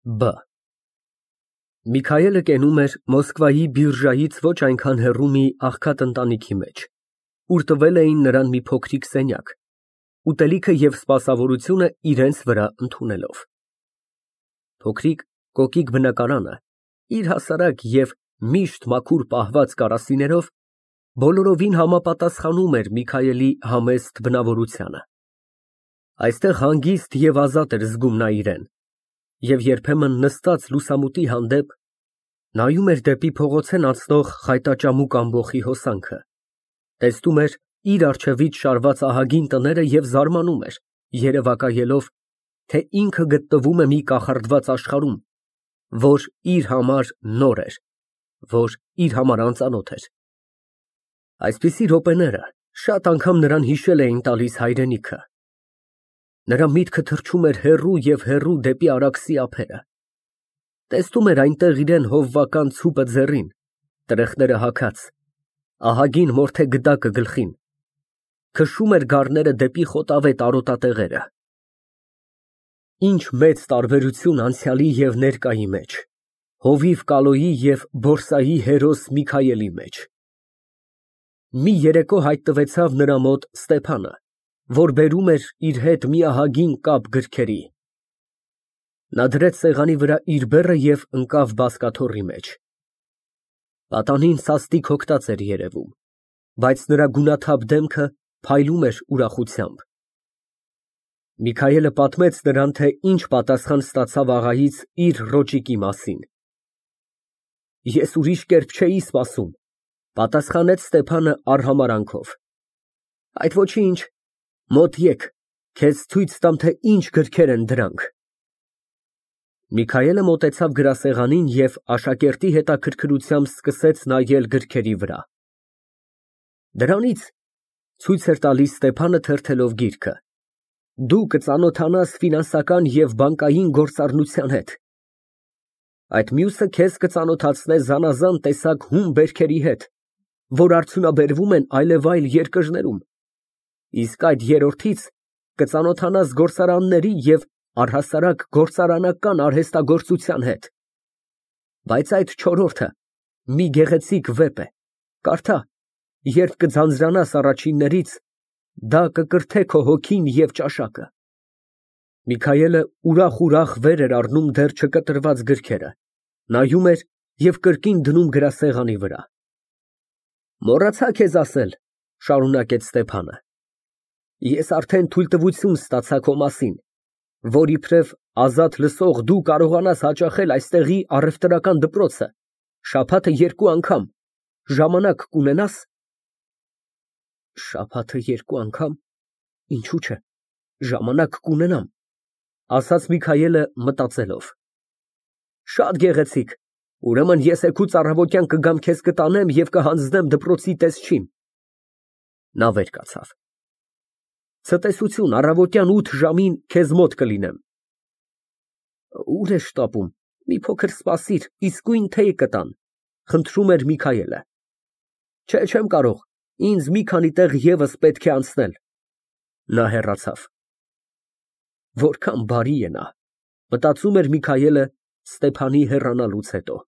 Բ Միքայելը կենում էր Մոսկվայի բիրժայից ոչ այնքան հեռու մի աղքատ ընտանիքի մեջ, ուր տվել էին նրան մի փոքրիկ սենյակ, ուտելիքը և սպասավորությունը իրենց վրա ընդունելով։ Փոքրիկ կոկիկ բնակարանը, իր հասարակ և միշտ մաքուր պահված կարասիներով, բոլորովին համապատասխանում էր Միքայելի համեստ բնավորությանը։ Այստեղ հանգիստ և ազատ էր զգում նա իրեն և երբեմն նստած լուսամուտի հանդեպ, նայում էր դեպի փողոցեն անցնող խայտաճամուկ ամբոխի հոսանքը, տեսնում էր իր առջևից շարված ահագին տները և զարմանում էր, երևակայելով, թե ինքը գտնվում է մի կախարդված աշխարհում, որ իր համար նոր էր, որ իր համար անծանոթ էր։ Այսպիսի րոպեները շատ անգամ նրան հիշել էին տալիս հայրենիքը։ Նրա միտքը թռչում էր հեռու և հեռու դեպի Արաքսի ափերը։ Տեսնում էր այնտեղ իրան հովվական ցուպը ձեռին, տրեխները հագած, ահագին մորթե գդակը գլխին, քշում էր գառները դեպի խոտավետ արոտատեղերը։ Ինչ մեծ տարբերություն անցյալի և ներկայի մեջ, հովիվ Կալոյի և բորսայի հերոս Միքայելի մեջ։ Մի երեկո հայտնվեցավ նրա մոտ Ստեփանը, որ բերում էր իր հետ մի ահագին կապ գրքերի։ Նա դրեց սեղանի վրա իր բեռը և ընկավ բազկաթոռի մեջ։ Պատանին սաստիկ հոգնած էր երևում, բայց նրա գունաթափ դեմքը փայլում էր ուրախությամբ։ Միքայելը պատմեց նրան, թե ինչ պատասխան ստացավ աղայից իր ռոճիկի մասին։ Ես ուրիշ կերպ չէի սպասում, պատասխանեց Ստեփանը արհամարհանքով։ Այդ ոչինչ, մոտ եկ, քեզ ցույց տամ, թե ինչ գրքեր են դրանք։ Միքայելը մոտեցավ գրասեղանին և աշակերտի հետաքրքրությամբ սկսեց նայել գրքերի վրա։ Դրանից, ցույց էր տալիս Ստեփանը թերթելով գիրքը, դու կծանոթանաս ֆինանսական և բանկային գործառնության հետ, այդ մյուսը քեզ կծանոթացնե զանազան տեսակ հում բերքերի հետ, որ արդյունաբերվում են այլևայլ երկրներում, իսկ այդ երրորդից կծանոթանաս գործարանների և առհասարակ գործարանական արհեստագործության հետ, բայց այդ չորրորդը մի գեղեցիկ վեպ է, կարդա, երբ կձանձրանաս առաջիններից, դա կկրթե քո հոգին և ճաշակը։ Միքայելը ուրախ վեր էր առնում դեռ չկտրված գրքերը, նայում էր և կրկին դնում գրասեղանի վրա։ Մոռացա քեզ ասել, շարունակեց Ստեփանը, ես արդեն թույլտվություն ստացա քո մասին, որ իբրև ազատ լսող դու կարողանաս հաճախել այստեղի առևտրական դպրոցը շաբաթը 2 անգամ, ժամանակ կունենա՞ս։ Շաբաթը 2 անգամ, ինչու՞ չէ, ժամանակ կունենամ, ասաց Միքայելը մտածելով։ Շատ գեղեցիկ, ուրեմն ես էգուց առավոտյան կգամ քեզ կտանեմ և կհանձնեմ դպրոցի տեսչին։ Նա վեր կացավ։ Ցտեսություն, առավոտյան 8 ժամին քեզ մոտ կլինեմ։ Ուր է շտապում, մի փոքր սպասիր, իսկույն թեյ կտան, խնդրում էր Միքայելը։ Չէ, չեմ կարող, ինձ մի քանի տեղ ևս պետք է անցնել։ Նա հեռացավ։ Որքան բարի է նա, մտածում էր Միքայելը Ստեփանի հեռանալուց հետո։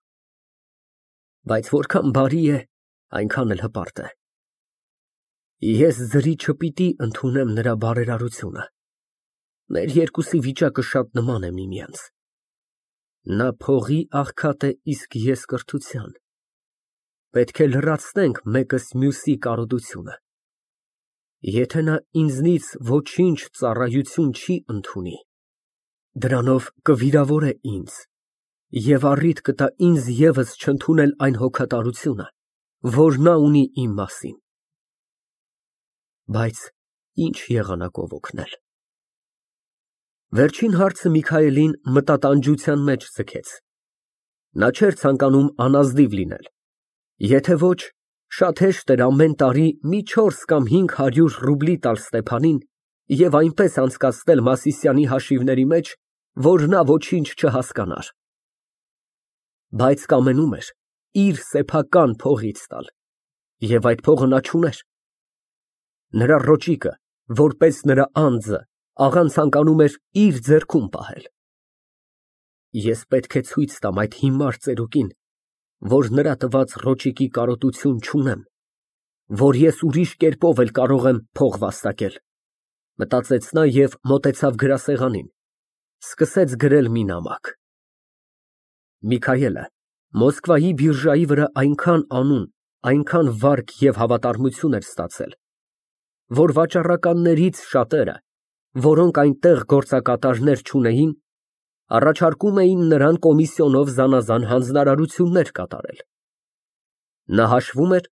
Բայց որքան բարի է, այնքան էլ հպարտ է։ Ես ձրի չպիտի ընդունեմ նրա բարերարությունը։ Մեր երկուսի վիճակը շատ նման է միմյանց։ Նա փողի աղքատ է, իսկ ես կրթության։ Պետք է լրացնենք մեկս մյուսի կարոտությունը։ Եթե նա ինձնից ոչինչ ծառայություն չի ընդունի, դրանով կվիրավորե ինձ և առիթ կտա ինձ ևս չընդունել այն հոգատարությունը, որ նա ունի իմ մասին։ Բայց ինչ եղանակով օգնել։ Վերջին հարցը Միքայելին մտատանջության մեջ ձգեց։ Նա չէր ցանկանում անազնիվ լինել։ Եթե ոչ, շատ հեշտ էր ամեն տարի մի 4 կամ 500 ռուբլի տալ Ստեփանին և այնպես անցկացնել Մասիսյանի հաշիվների մեջ, որ նա ոչինչ չհասկանար։ Բայց կամենում էր իր սեփական փողից տալ, և այդ փողը նա չուներ։ Նրա ռոճիկը, որպես նրա անձը, աղան ցանկանում էր իր ձեռքում պահել։ Ես պետք է ցույց տամ այդ հիմար ծերուկին, որ նրա տված ռոճիկի կարոտություն չունեմ, որ ես ուրիշ կերպով էլ կարող եմ փող վաստակել, մտածեց նա և մոտեցավ գրասեղանին, սկսեց գրել մի նամակ։ Միքայելը Մոսկվայի բիրժայի վրա այնքան անուն, այնքան վարկ և հավատարմություն էր ստացել, որ վաճառականներից շատերը, որոնք այնտեղ գործակատարներ չունեին, առաջարկում էին նրան կոմիսիոնով զանազան հանձնարարություններ կատարել։ Նա հաշվում էր,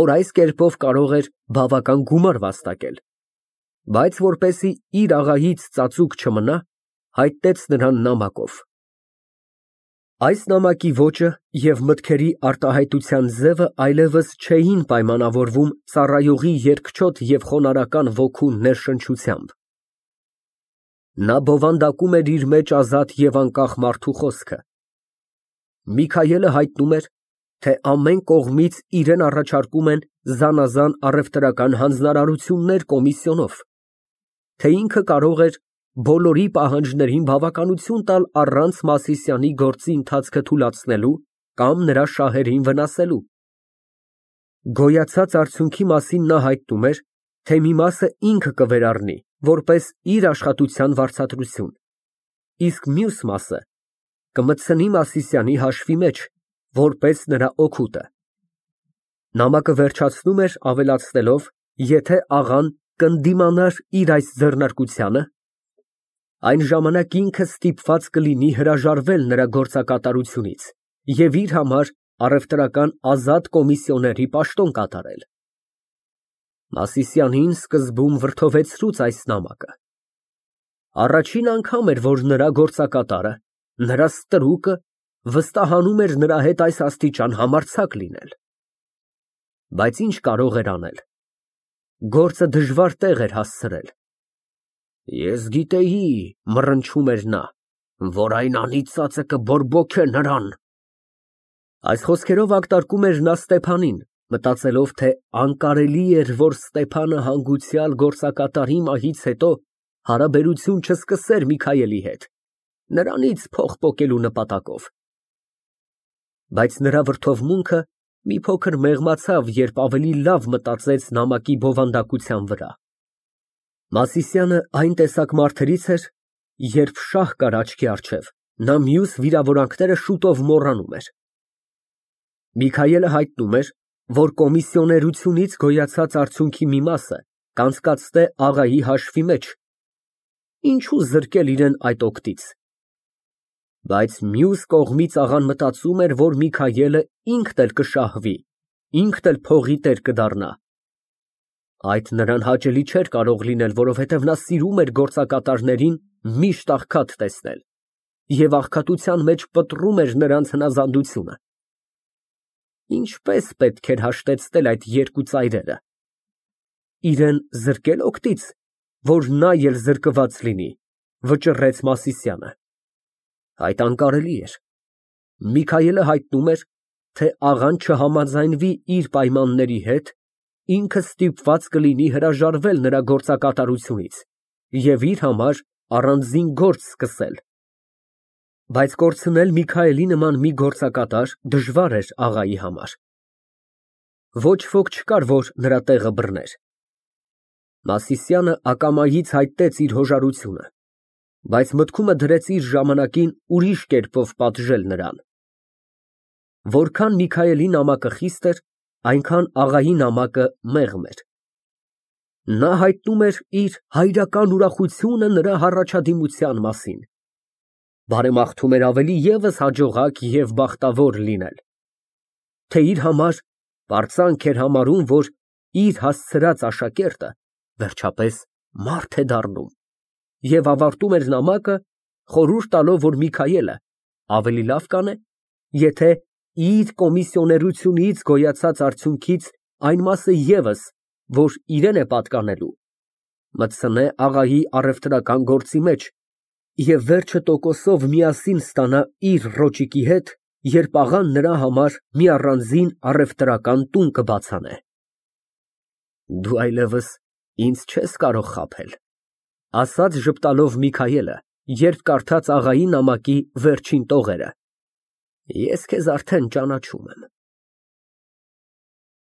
որ այս կերպով կարող էր բավական գումար վաստակել, բայց որպեսզի իր աղայից ծածուկ չմնա, հայտնեց նրան նամակով։ Այս նամակի ոճը և մտքերի արտահայտության ձևը այլևս չէին պայմանավորվում ծառայողի երկչոտ և խոնարհական ոգու ներշնչությամբ։ Նա բովանդակում էր իր մեջ ազատ և անկախ մարդու խոսքը։ Միքայելը հայտնում էր, թե ամեն կողմից իրան առաջարկում են զանազան առևտրական հանձնարարություններ կոմիսիոնով, թե ինքը կարող էր բոլորի պահանջներին բավականություն տալ առանց Մասիսյանի գործի ընթացքը թուլացնելու կամ նրա շահերին վնասելու։ Գոյացած արդյունքի մասին նա հայտնում էր, թե մի մասը ինքը կվերառնի, որպես իր աշխատության վարձատրություն, իսկ մյուս մասը կմտցնի Մասիսյանի հաշվի մեջ, որպես նրա օգուտը։ Նամակը վերջացնում էր ավելացնելով, եթե աղան կընդդիմանար իր այս ձեռնարկությանը, այն ժամանակ ինքը ստիպված կլինի հրաժարվել նրա գործակատարությունից և իր համար առևտրական ազատ կոմիսիոների պաշտոն կատարել։ Մասիսյանին սկզբում վրդովեցրուց այս նամակը։ Առաջին անգամ էր, որ նրա գործակատարը, նրա ստրուկը վստահանում էր նրա հետ այս աստիճան համարձակ լինել։ Բայց ինչ կարող էր անել։ Գործը դժվար տեղ էր հասցրել։ Ես գիտեի, մռնչում էր նա, որ այն անիծածը կբորբոքե նրան։ Այս խոսքերով ակտարկում էր նա Ստեփանին, մտածելով, թե անկարելի էր, որ Ստեփանը հանգուցյալ գործակատարի մահից հետո հարաբերություն չսկսեր Միքայելի հետ, նրանից փող պոկելու նպատակով։ Բայց նրա վրդովմունքը մի փոքր մեղմացավ, երբ ավելի լավ մտածեց նամակի բովանդակության վրա։ Մասիսյանը այն տեսակ մարդերից էր, երբ շահ կար աչքի առջև, նա մյուս վիրավորանքները շուտով մոռանում էր։ Միքայելը հայտնում էր, որ կոմիսիոներությունից գոյացած արդյունքի մի մասը կանցկացնե աղայի հաշվի մեջ, ինչու զրկել իրեն այդ օգտից։ Բայց մյուս կողմից աղան մտածում էր, որ Միքայելը ինքն էլ կշահվի, ինքն էլ փողի տեր կդառնա։ Այդ նրան հաճելի չէր կարող լինել, որովհետև նա սիրում էր գործակատարներին միշտ աղքատ տեսնել և աղքատության մեջ պտռում էր նրանց հնազանդությունը։ Ինչպես պետք էր հաշտեցնել այդ երկու ծայրերը։ Իրեն զրկել օգտից, որ նա էլ զրկված լինի, վճռեց Մասիսյանը։ Այդ անկարելի էր։ Միքայելը հայտնում էր, թե աղան չհամաձայնվի իր պայմանների հետ, ինքը ստիպված կլինի հրաժարվել նրա գործակատարությունից և իր համար առանձին գործ սկսել։ Բայց կորցնել Միքայելի նման մի գործակատար դժվար էր աղայի համար։ Ոչ ոք չկար, որ նրա տեղը բռներ։ Մասիսյանը ակամայից հայտնեց իր հոժարությունը, բայց մտքումը դրեց իր ժամանակին ուրիշ կերպով պատժել նրան։ Որքան Միքայելի նամակը խիստ էր, այնքան աղայի նամակը մեղմ էր։ Նա հայտնում էր իր հայրական ուրախությունը նրա հառաջադիմության մասին, բարեմաղթում էր ավելի ևս հաջողակ և բախտավոր լինել, թե իր համար պարծանք էր համարում, որ իր հասցրած աշակերտը վերջապես մարդ է դառնում, և ավարտում էր նամակը խորհուրդ տալով, որ Միքայելը ավելի լավ կանե, եթե իր կոմիսիոներությունից գոյացած արդյունքից այն մասը ևս, որ իրան է պատկանելու, մտցնե աղայի առևտրական գործի մեջ և վերջը տոկոսով միասին ստանա իր ռոճիկի հետ, երբ աղան նրա համար մի առանձին առևտրական տուն կբացանե։ Դու այլևս ինձ չես կարող խաբել, ասաց ժպտալով Միքայելը, Երբ կարդաց աղայի նամակի վերջին տողերը)։ Ես քեզ արդեն ճանաչում եմ։